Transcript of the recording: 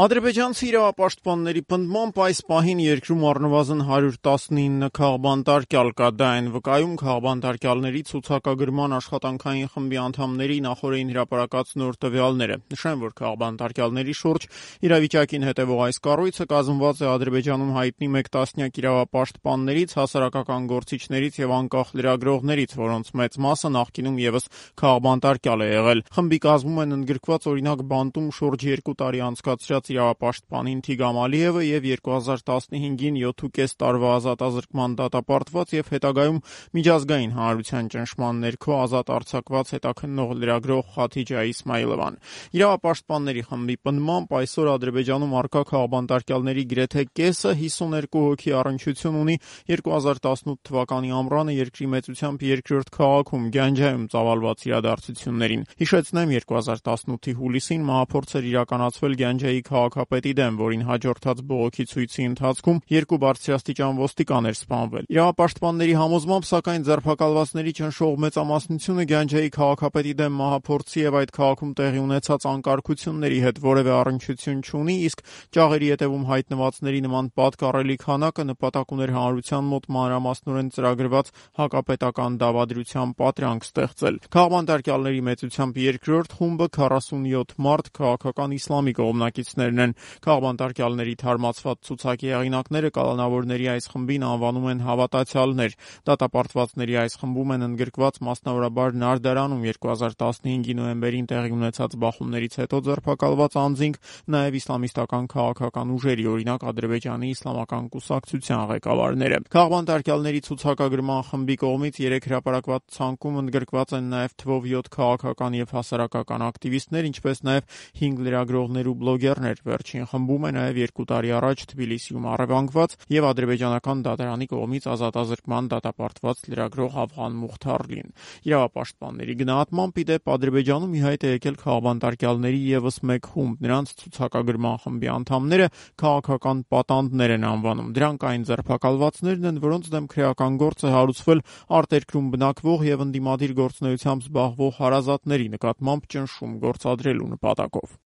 Ադրբեջանցի իրավապաշտպանների պնդմամբ այս պահին երկրում առնվազն 119 քաղբանտարկյալ կա, դա այն վկայում քաղբանտարկյալների ցուցակագրման աշխատանքային խմբի անդամների նախօրեին հրապարակած նոր տվյալները։ Նշեմ, որ քաղբանտարկյալների շուրջ իրավիճակին հետևող այս կառույցը կազմված է Ադրբեջանում հայտնի մեկ տասնյակ իրավապաշտպաններից, հասարակական գործիչներից եւ անկախ լրագրողներից, որոնց մեծ մասը նախկինում եւս քաղբանտարկյալ է եղել։ Խմբի կազմում են ընդգրկված օրինակ բանտում շուրջ 2 տարի անցկացրած իրավապաշտպան Ինթիգամ Ալիևը եւ 2015-ին 7.5 տարվա ազատազրկման դատապարտված եւ հետագայում միջազգային հանրության ճնշման ներքո ազատ արձակված հետաքննող լրագրող Խաթիջա Իսմայիլովան։ Իրավապաշտպանների խմբի պնդմամբ այսօր Ադրբեջանում առկա քաղբանտարկյալների գրեթե կեսը 52 հոգի առնչություն ունի 2018 թվականի ամռանը երկրի մեծությամբ երկրորդ քաղաքում Գանջայում ծավալված իրադարձություններին։ Հիշեցնեմ, 2018-ի հուլիսին մահափորձ էր իրականացվել Գանջայի քաղաքապետի դեմ, որին հաջորդած բողոքի ցույցի ընթացքում 2 բարձրաստիճան ոստիկան էր սպանվել։ Իրավապաշտպանների համոզմամբ, սակայն ձերբակալվածների ճնշող մեծամասնությունը Գանջայի քաղաքապետի դեմ մահափորձի եւ այդ քաղաքում տեղի ունեցած անկարգությունների հետ որևէ առնչություն չունի, իսկ ճաղերի ետևում հայտնվածների նման պատկառելի քանակը նպատակ ուներ հանրության մոտ մանրամասնորեն ծրագրված հակապետական դավադրության պատրանք ստեղծել։ Քաղբանտարկյալների մեծությամբ երկրորդ խումբը 47 մարդ քաղաքական իսլամի կողմնակիցներն են։ Քաղբանտարկյալների թարմացված ցուցակի հեղինակները կալանավորների այս խմբին անվանում են հավատացյալներ։ Դատապարտվածների այս խմբում են ընդգրկված մասնավորաբար Նարդարանում 2015-ի նոյեմբերին տեղի ունեցած բախումներից հետո ձերբակալված անձինք, նաև իսլամիստական քաղաքական ուժերի, օրինակ Ադրբեջանի իսլամական կուսակցության ղեկավարները։ Քաղբանտարկյալների ցուցակագրման խմբի կողմից 3 հրապարակված ցանկում ընդգրկված են նաև թվով 7 քաղաքական եւ հասարակական ակտիվիստներ, ինչպես նաև 5 լրագրողներ ու բլոգերներ։ Վերջին խմբում է նաև 2 տարի առաջ Թբիլիսիում առևանգված եւ ադրբեջանական դատարանի կողմից ազատազրկման դատապարտված լրագրող Աֆղան Մուխթարլին։ Իրավապաշտպանների գնահատմամբ, ի դեպ, Ադրբեջանում ի հայտ է եկել քաղբանտարկյալների եւս մեկ խումբ։ Նրանց ցուցակագրման խմբի անդամները քաղաքական պատանդներ են անվանում։ Դրանք այն ձերբակալվածներն են, որոնց դեմ քրեական գործ է հարուցվել արտերկրում բնակվող եւ ընդդիմադիր գործունեությամբ զբաղվող հարազատների նկատմամբ ճնշում գործադրելու նպատակով։